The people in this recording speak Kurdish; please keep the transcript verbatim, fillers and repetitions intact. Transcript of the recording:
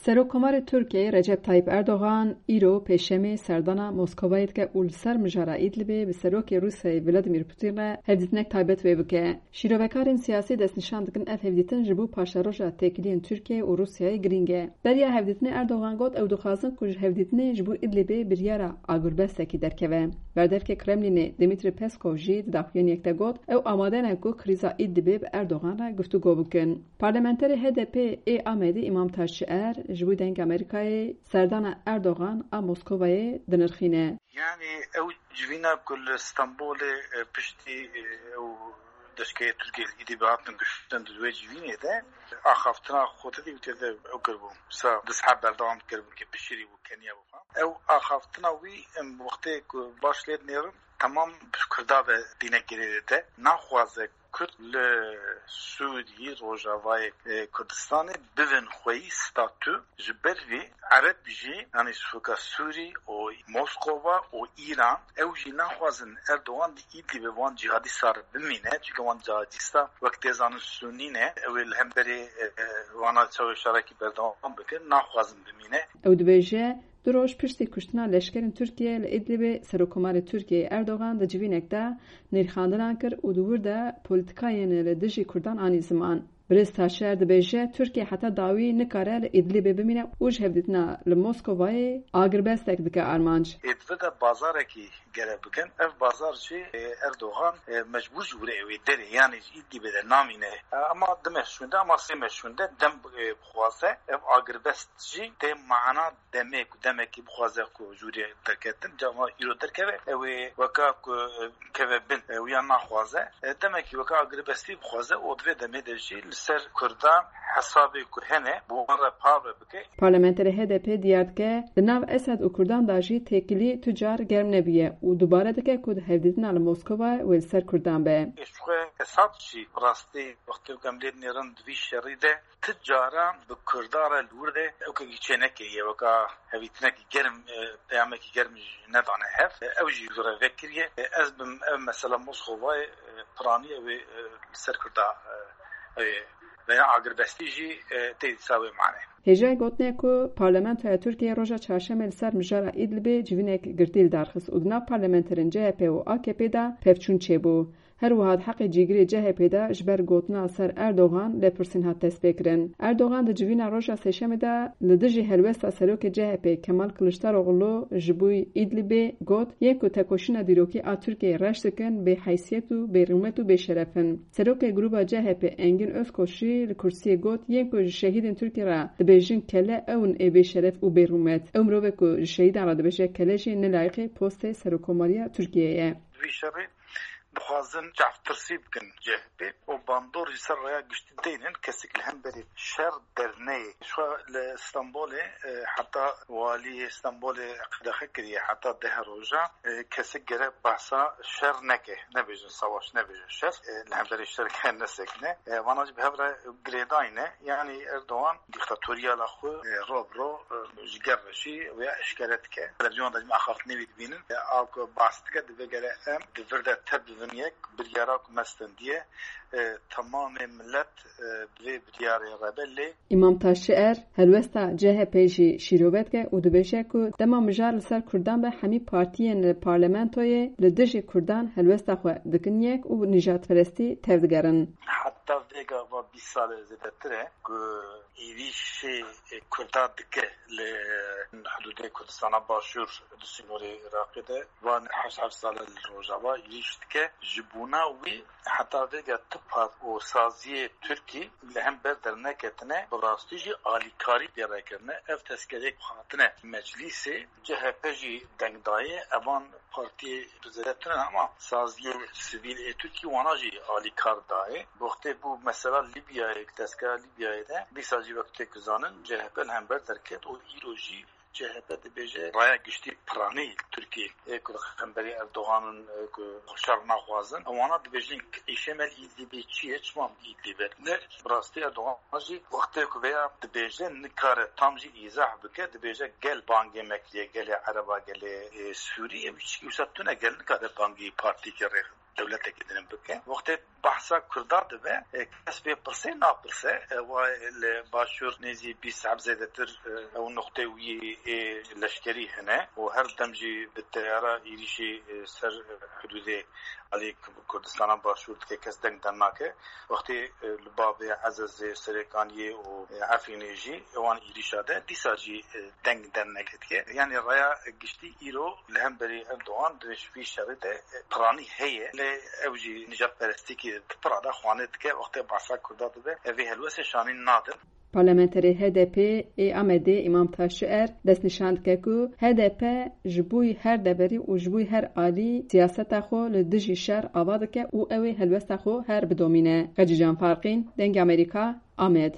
Serokkomarê Tirkiyeyê Recep Tayyip Erdogan îro Pêşemê serdana Moskovayê dike û li ser mijara Îdlibê bi Serokê Rûsyayê Vladimir Putin re hevdîtinek taybet wê bike. Şîrovekarên siyasî destnîşan dikin ev hevdîtin ji bo paşeroja têkiliyên Tirkiyeyê û Rûsyayê girîng e. Beriya hevdîtinê Erdogan got ew dixwazin ku ji hevdîtinê ji bo Îdlibê biryara agurbestekî derkeve. Berdevkê Kremlînê Dmitry Peskov jî di daxuyaniyek de got ew amade ne ku krîza Îdlibê bi Erdogan re guftûgo bikin. Parlamenterê H D P ê Amedê Îmam Taşçier ji bo Dengê Amerîkayê serdana Erdogan a Moskovayê dinirxîne. Yani ew civîna ku li Stenbolê, e, piştî, e, ew deşkeyê Tirkiyê li Îdlibê hatin kuştin, di wê civînê de axaftina xwe tê de ew kiribû. Sa du seheb berdewam kiribû ke pişirî bû, keniya bû. Ew axaftina wî, em, wextê ku baş lê dinêrin, temam bi Kurda ve dîne girê de naxwaze Kurd li Sûrî, Rojavayê, e, Kurdistanê bibin xweyî statû, ji ber vî Ereb jî, yanî ji fika Sûrî û Moskova û Îran, ew jî naxwazin Erdogan di Îdlibê van cîhadîsta re bimîne, çunke wan cîhadîsta wek tê zanin Sûnî ne, ew ê li hemberî, e, e, vana çawa şerekî berdewam bikin, naxwazin bimîne. Ew dibêje, du roj piştî kuştina leşkerên Tirkiye li Îdlibê Serokkomarê Tirkiyeyê Erdogan di civînek de nirxandinan kir û di wir de polîtikayên li dijî Kurdan anî ziman. Birêz Taşer dibêje, Tirkiye heta dawî nikare li Îdlibê bimîne û ji hevdîtina li Moskovayê agirbestek dike armanc. Ê di vir de bazarekî gere bikin. Ev bazar jî, e, Erdogan, e, mecbûr ji wir e wê derê, yanî ji Îdlibê de namîne. E, ama du meh şûnde, ama sê meh şûnde dem, e, bixwaze. Ev agirbest jî tê mana demê ku demekî bixwaze ku jûrê derketin, cama îro derkeve, ew ê weka ku, e, keve bin, e, wiya naxwaze. E, demekî weka agirbestî bixwaze û di vê demê de jî li ser Kurdan hesabê ku hene, bi wan re parve bike. Parlamenterê H D P diyar dike, di nav Esed û Kurdan de jî têkilî tu car germ nebûye û dubare dike ku di hevdîtina li Moskova wê li ser Kurdan be. Ji xwe Esad jî rastî wextê ku em lê dinêrin di vî şerî de ti cara bi Kurda re li wir de ewkekî çênekiriye, weka hevîtinekî germ, e, peyamekî germ jî nedane hev. E, ew jî vire vekiriye. E, ez bim ev mesela Moskovayê, e, piranî ew ê, e, li ser Kurda, e, ew ê veya agirbestî jî, e, tê dîsa wê mane. Hêjayê gotinê ku Parlamentoya Tirkiyeyê roja Çarşemê li ser mijara Îdlibê civînek girtî li dar xist û di nav parlamenterên C H P û A K P de pevçûn çêbû. Her wiha di heqê cîgirê C H P de ji ber gotina ser Erdogan lêpirsîn hat destpêkirin. Erdogan di civîna roja Sêşemê de li dijî helwesta serokê C H P Kemal Kiliçdaroglu ji bo Îdlibê got, yên ku tekoşîna dîrokî a Tirkiyeyê reş dikin, bêheysiyet û bêrûmet û bêşeref in. Serokê Grûba C H P Engin Özkoç jî li kursiyê got, yên ku ji şehîdên Tirkiyê re dibêjin kele, ew in ê bêşeref û bêrûmet. Ew mirovê ku ji şehîdan re dibêje kele jî ne layiqê postê Serokkomariya Tirkiyeyê ye. Vî şerê dixwazin çavtirsî bikin C H P û bandor ji ser raya giştî deynin, kesik li hemberî şer derneyê. Şwa li Stenbolê, e, heta waliyê Stenbolê qedexe kiriye, heta deh roja, e, kesik gere behsa şer neke, nebêjin savaş, nebêjin şer, e, li hemberî şer ke nesekine. E, vana jî bi hev re girêdayî ne. Yanî Erdogan dîktatoriyala xwe, e, ro bi ro, e, ji ger re jî wê eşkere dike. Televîzyona de jî me axaftinê wî dibînin. E, a ku behs dike, divê gere em di vir de tev bibin yek, biryara ku me stendiye, e, temamê milet, e, bi vê biryarê re be lê. Îmam Taşçier, helwesta C H P jî şîrove dike û dibêje ku dema mijar li ser Kurdan be, hemî partiyên li parlamentoyê li dijî Kurdan helwesta xwe dikin yek û nîjadperestî tevdigerin. Heta vêga va bîst sal e, zêdetir e ku êrîşê Kurda dike li hudûdê Kurdistana Başûr di sînorê Iraqê de. Van heşt heft sal e li Rojava êrîş dike. Ji bona wî heta vêga tu part û saziyê Tirkî li hember derneketine, bi rastî jî alîkarî pê re kirine. Ev tezkereyek hatine meclîsê, C H P jî deng daye, evan partiyê zêdetir in, ama saziyê sivîl ê Tirkî wana jî alîkar dayê. Wextê bû mesela Lîbyayê, tezkera Lîbyayê de, dîsa jî wek tê ku zanin C H P li hember derket û îro jî C H P dibêje raya giştî piranî Tirkiyê ê ku li hemberî Erdogan in, ê ku şer naxwazin. Wana dibêjin, îşê me li Îdlibê çi ye, çima em li Îdlibê ne? Bi rastî Erdogan jî wextê ku vêya dibêje, nikare tam jî îzah bike, dibêje gel bangê me kiriye, gelê Ereba, gelê, ê, Sûrî, ev çi wisa tune, gel nikare bangî partîkê rê dewletekî din bike. Wextê bahsa Kurda dibe, e, kes vê pirsê napirse. E, wa li Başûr nêzî bîst heb zêdetir, e, ew nuqtê wî ê leşkerî hene û her dem jî bi teyara êrîşê, e, ser, e, hudûdê alî Kurdistana Başûr dike, kes deng dernake. Wextê, e, li bavê Ezezê, Serêkaniyê û, e, Efrînê jî wan êrîşa de dîsa jî, e, deng derneke dike. Yanî raya giştî îro li hemberî Erdogan di vê şerî de, e, piranî heye. Lê ew jî nijadperestîkî di pira de xwane dike, wextê bahsa Kurda dibe, ev ê helwestê şanîn nadin. Parlamenterê H D P ê Amedê Îmam Taşier destnîşan dike ku H D P ji bo her deverî û ji bo her alî siyaseta xwe li dijî şer ava dike û ew ê helwesta xwe her bidomîne. Xecîcan Farqîn, Dengê Amerîka, Amed.